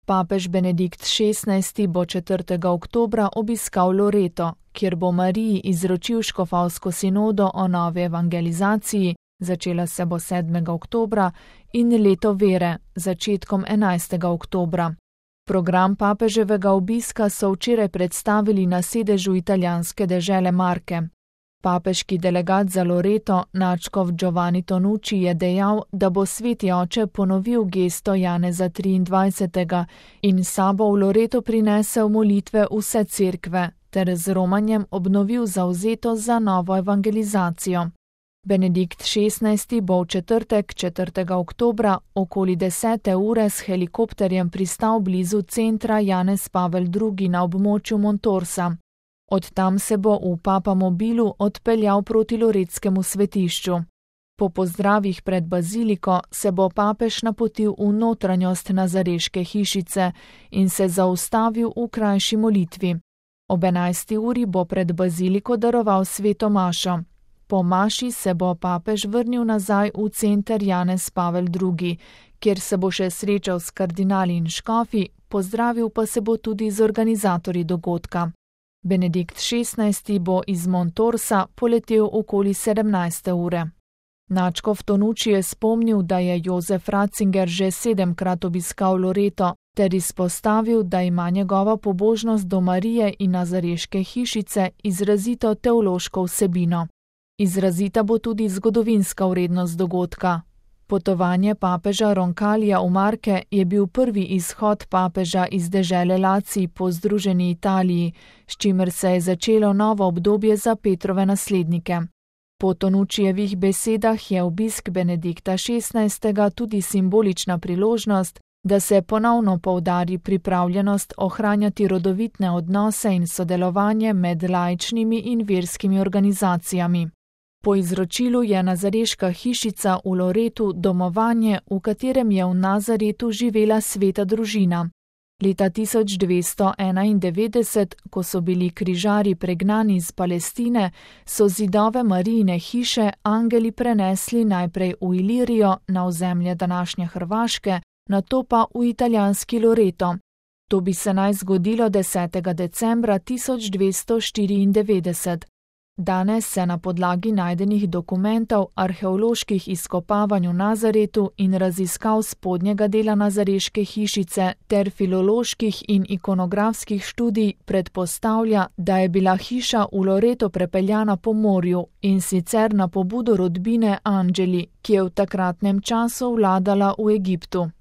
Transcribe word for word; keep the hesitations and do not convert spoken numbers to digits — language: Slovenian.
Papež Benedikt šestnajsti bo četrtega oktobra obiskal Loreto, kjer bo Mariji izročil škofovsko sinodo o novi evangelizaciji, začela se bo sedmega oktobra, in leto vere, začetkom enajstega oktobra. Program papeževega obiska so včeraj predstavili na sedežu italijanske dežele Marke. Papeški delegat za Loreto, nadškof Giovanni Tonucci, je dejal, da bo sveti oče ponovil gesto Janeza triindvajsetega in sabo v Loreto prinesel molitve vse cerkve ter z romanjem obnovil zavzetost za novo evangelizacijo. Benedikt šestnajsti bo v četrtek, četrtega oktobra, okoli desete ure s helikopterjem pristal blizu centra Janez Pavel drugi na območju Montorsa. Od tam se bo v papamobilu odpeljal proti loretskemu svetišču. Po pozdravih pred baziliko se bo papež napotil v notranjost Nazareške hišice in se zaustavil v krajši molitvi. Ob enajsti uri bo pred baziliko daroval sveto mašo. Po maši se bo papež vrnil nazaj v center Janez Pavel drugi, kjer se bo še srečal s kardinali in škofi, pozdravil pa se bo tudi z organizatorji dogodka. Benedikt šestnajsti bo iz Montorsa poletel okoli sedemnajste ure. Nadškof Tonucci je spomnil, da je Jozef Ratzinger že sedemkrat obiskal Loreto, ter izpostavil, da ima njegova pobožnost do Marije in Nazareške hišice izrazito teološko vsebino. Izrazita bo tudi zgodovinska vrednost dogodka. Potovanje papeža Roncalija v Marke je bil prvi izhod papeža iz dežele Lacij po združeni Italiji, s čimer se je začelo novo obdobje za Petrove naslednike. Po Tonuccijevih besedah je obisk Benedikta šestnajstega tudi simbolična priložnost, da se ponovno poudari pripravljenost ohranjati rodovitne odnose in sodelovanje med laičnimi in verskimi organizacijami. Po izročilu je Nazareška hišica v Loretu domovanje, v katerem je v Nazaretu živela sveta družina. Leta tisoč dvesto enaindevetdeset, ko so bili križarji pregnani iz Palestine, so zidove Marijine hiše angeli prenesli najprej v Ilirijo, na ozemlje današnje Hrvaške, nato pa v italijanski Loreto. To bi se naj zgodilo desetega decembra tisoč dvesto štiriindevetdeset. Danes se na podlagi najdenih dokumentov, arheoloških izkopavanj v Nazaretu in raziskav spodnjega dela Nazareške hišice ter filoloških in ikonografskih študij predpostavlja, da je bila hiša v Loreto prepeljana po morju, in sicer na pobudo rodbine Angeli, ki je v takratnem času vladala v Egiptu.